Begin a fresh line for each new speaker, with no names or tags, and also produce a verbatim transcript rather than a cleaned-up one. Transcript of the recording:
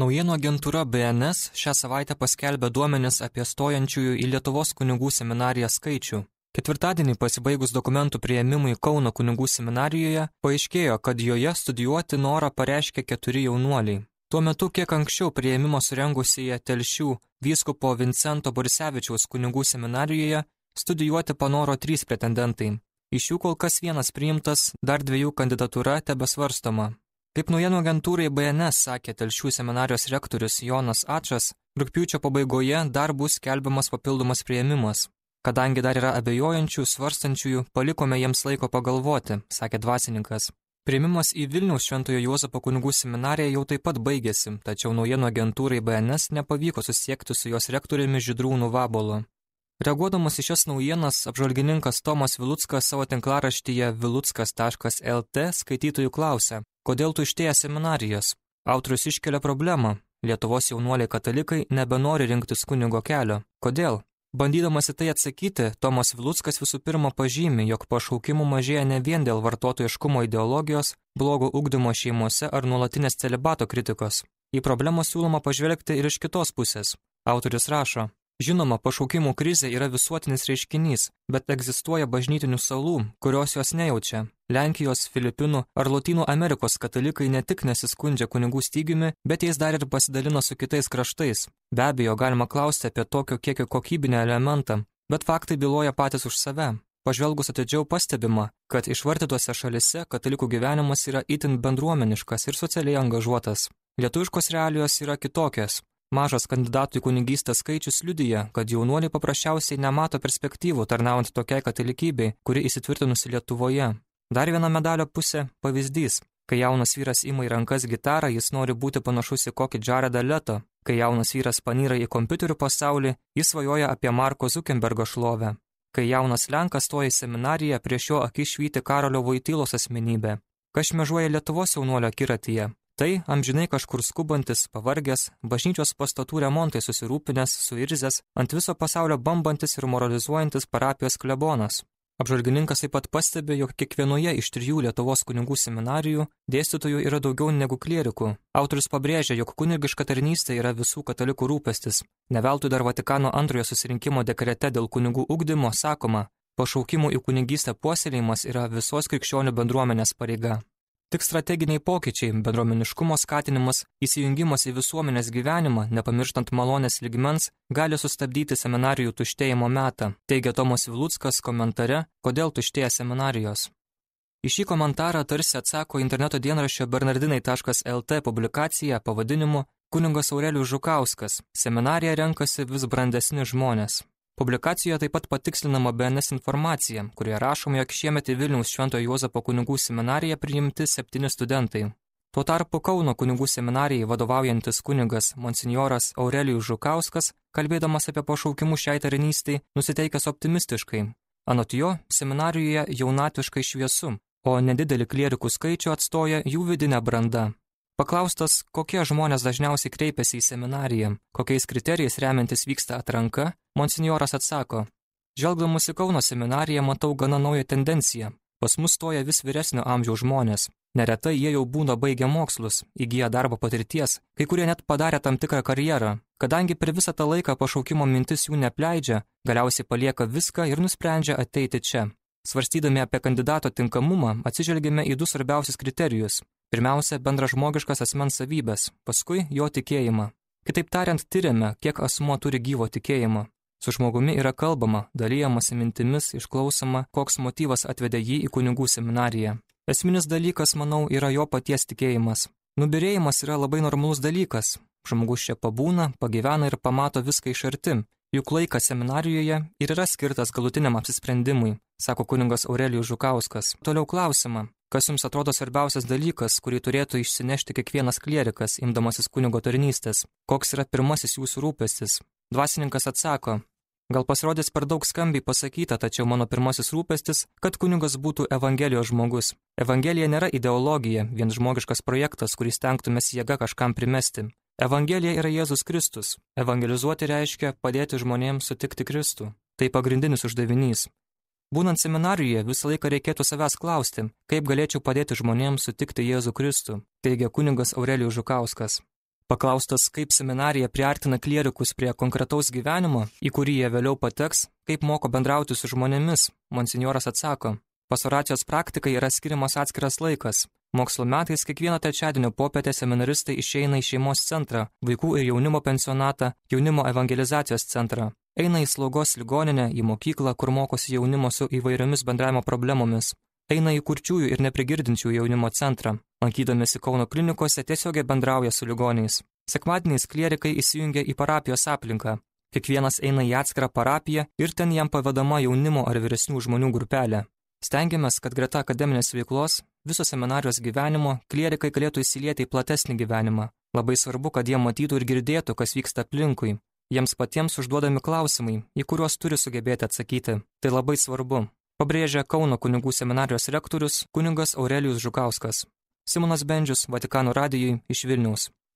Naujienų agentūra B N S šią savaitę paskelbė duomenis apie stojančiųjų į Lietuvos kunigų seminariją skaičių. Ketvirtadienį pasibaigus dokumentų priėmimui Kauno kunigų seminarijoje, paaiškėjo, kad joje studijuoti norą pareiškė keturi jaunuoliai. Tuo metu kiek anksčiau priėmimo surengusioje Telšių vyskupo Vincento Borisevičiaus kunigų seminarijoje studijuoti panoro trys pretendentai. Iš jų kol kas vienas priimtas, dar dviejų kandidatūra tebesvarstoma. Kaip naujienų agentūrai B N S sakė Telšių seminarijos rektorius Jonas Ačas, rugpjūčio pabaigoje dar bus skelbiamas papildomas priėmimas. Kadangi dar yra abejojančių, svarstančiųjų, palikome jiems laiko pagalvoti, sakė dvasininkas. Priėmimas į Vilniaus Šventojo Juozapo kunigų seminariją jau taip pat baigėsi, tačiau naujienų agentūrai B N S nepavyko susiekti su jos rektoriumi Žydrūnu Vabolu. Reaguodamas į šias naujienas, apžvalgininkas Tomas Viluckas savo tinklaraštyje viluckas taškas L T skaitytojų klausė, kodėl tuštėja seminarijos. Autorius iškelia problemą. Lietuvos jaunuoliai katalikai nebenori rinktis kunigo kelio. Kodėl? Bandydamas į tai atsakyti, Tomas Viluckas visų pirma pažymi, jog pašaukimų mažėja ne vien dėl vartotojiškumo ideologijos, blogo ugdymo šeimose ar nuolatinės celibato kritikos. Į problemą siūloma pažvelgti ir iš kitos pusės. Autorius rašo, žinoma, pašaukimų krizė yra visuotinis reiškinys, bet egzistuoja bažnytinių salų, kurios jos nejaučia. Lenkijos, Filipinų ar Lotynų Amerikos katalikai ne tik nesiskundžia kunigų stygiumi, bet jais dar ir pasidalina su kitais kraštais. Be abejo, galima klausti apie tokio kiekio kokybinį elementą, bet faktai byloja patys už save. Pažvelgus atidžiau pastebima, kad išvartytose šalise katalikų gyvenimas yra itin bendruomeniškas ir socialiai angažuotas. Lietuviškos realijos yra kitokios. Mažas kandidatų į kunigystę skaičius liudija, kad jaunuoliai paprasčiausiai nemato perspektyvų tarnaujant tokiai katalikybei, kuri įsitvirtinusi Lietuvoje. Dar viena medalio pusė – pavyzdys. Kai jaunas vyras ima į rankas gitarą, jis nori būti panašus į kokį Jaredą Leto. Kai jaunas vyras panyra į kompiuterių pasaulį, jis svajoja apie Marko Zuckerbergo šlovę. Kai jaunas lenkas stoja į seminariją, prieš jo akis švyti Karolio Voitylos asmenybė. Kas šmėžuoja Lietuvos jaunuolio akiratyje? Tai amžinai kažkur skubantis, pavargęs, bažnyčios pastatų remontai susirūpinęs, suirzęs, ant viso pasaulio bambantis ir moralizuojantis parapijos klebonas. Apžvalgininkas taip pat pastebi, jog kiekvienoje iš trijų Lietuvos kunigų seminarijų dėstytojų yra daugiau negu klierikų. Autorius pabrėžia, jog kunigiška tarnystė yra visų katalikų rūpestis. Ne veltui dar Vatikano antrojo susirinkimo dekrete dėl kunigų ugdymo sakoma, pašaukimų į kunigystę puoselėjimas yra visos krikščionių bendruomenės pareiga. Tik strateginiai pokyčiai, bendruomeniškumo skatinimas, įsijungimas į visuomenės gyvenimą, nepamirštant malonės lygmens, gali sustabdyti seminarijų tuštėjimo metą, teigia Tomas Viluckas komentare, kodėl tuštėja seminarijos. Į šį komentarą tarsi atsako interneto dienraščio bernardinai taškas L T publikacija pavadinimu Kunigas Aurelijus Žukauskas. Seminariją renkasi vis brandesni žmonės. Publikacijoje taip pat patikslinama B N S informacija, kurioje rašoma, jog šiemet į Vilniaus Šventojo Juozapo kunigų seminariją priimti septyni studentai. Tuo tarpu Kauno kunigų seminarijai vadovaujantis kunigas monsinjoras Aurelijus Žukauskas, kalbėdamas apie pašaukimus šiai tarnystei, nusiteikęs optimistiškai. Anot jo, seminarijoje jaunatviškai šviesu, o nedidelį klierikų skaičių atstoja jų vidinė branda. Paklaustas, kokie žmonės dažniausiai kreipiasi į seminariją, kokiais kriterijais remiantis vyksta atranka, monsinjoras atsako, žvelgdamas į Kauno seminariją matau gana naują tendenciją. Pas mus stoja vis vyresnio amžiaus žmonės. Neretai jie jau būna baigę mokslus, įgyję darbo patirties, kai kurie net padarė tam tikrą karjerą. Kadangi per visą tą laiką pašaukimo mintis jų nepleidžia, galiausiai palieka viską ir nusprendžia ateiti čia. Svarstydami apie kandidato tinkamumą, atsižvelgėme į du svarbiausius kriterijus. Pirmiausia, bendražmogiškas asmens savybės, paskui jo tikėjimą. Kitaip tariant, tyrėme, kiek asmuo turi gyvo tikėjimo. Su žmogumi yra kalbama, dalyjamasi mintimis, išklausoma, koks motyvas atvedė jį į kunigų seminariją. Esminis dalykas, manau, yra jo paties tikėjimas. Nubyrėjimas yra labai normalus dalykas. Žmogus čia pabūna, pagyvena ir pamato viską iš arti. Juk laikas seminarijoje ir yra skirtas galutiniam apsisprendimui, sako kunigas Aurelijus Žukauskas. Toliau klausimą. Kas jums atrodo svarbiausias dalykas, kurį turėtų išsinešti kiekvienas klierikas, imdamasis kunigo tarnystės? Koks yra pirmasis jūsų rūpestis? Dvasininkas atsako, gal pasirodys per daug skambiai pasakyta, tačiau mano pirmasis rūpestis, kad kunigas būtų evangelijos žmogus. Evangelija nėra ideologija, vien žmogiškas projektas, kurį stengtumės jėga kažkam primesti. Evangelija yra Jėzus Kristus. Evangelizuoti reiškia padėti žmonėms sutikti Kristų. Tai pagrindinis uždavinys. Būnant seminarijoje visą laiką reikėtų savęs klausti, kaip galėčiau padėti žmonėms sutikti Jėzų Kristų, teigia kunigas Aurelijus Žukauskas. Paklaustas, kaip seminarija priartina klierikus prie konkretaus gyvenimo, į kurį jie vėliau pateks, kaip moko bendrauti su žmonėmis, monsinjoras atsako, pastoracijos praktikai yra skiriamas atskiras laikas. Mokslo metais kiekvieną trečiadienio popietę seminaristai išeina į šeimos centrą, vaikų ir jaunimo pensionatą, jaunimo evangelizacijos centrą. Eina į slaugos ligoninę, į mokyklą, kur mokosi jaunimo su įvairiomis bendravimo problemomis. Eina į kurčiųjų ir neprigirdinčių jaunimo centrą. Lankydamėsi Kauno klinikose tiesiogiai bendrauja su ligoniais. Sekmadieniais klierikai įsijungia į parapijos aplinką. Kiekvienas eina į atskirą parapiją ir ten jam pavedama jaunimo ar vyresnių žmonių grupelė. Stengiamės, kad greta akademinės veiklos, viso seminarijos gyvenimo, klierikai galėtų įsilieti į platesnį gyvenimą. Labai svarbu, kad jie matytų ir girdėtų, kas vyksta aplinkui. Jiems patiems užduodami klausimai, į kuriuos turi sugebėti atsakyti. Tai labai svarbu, pabrėžia Kauno kunigų seminarijos rektorius kunigas Aurelijus Žukauskas. Simonas Bendžius, Vatikano radijui iš Vilniaus.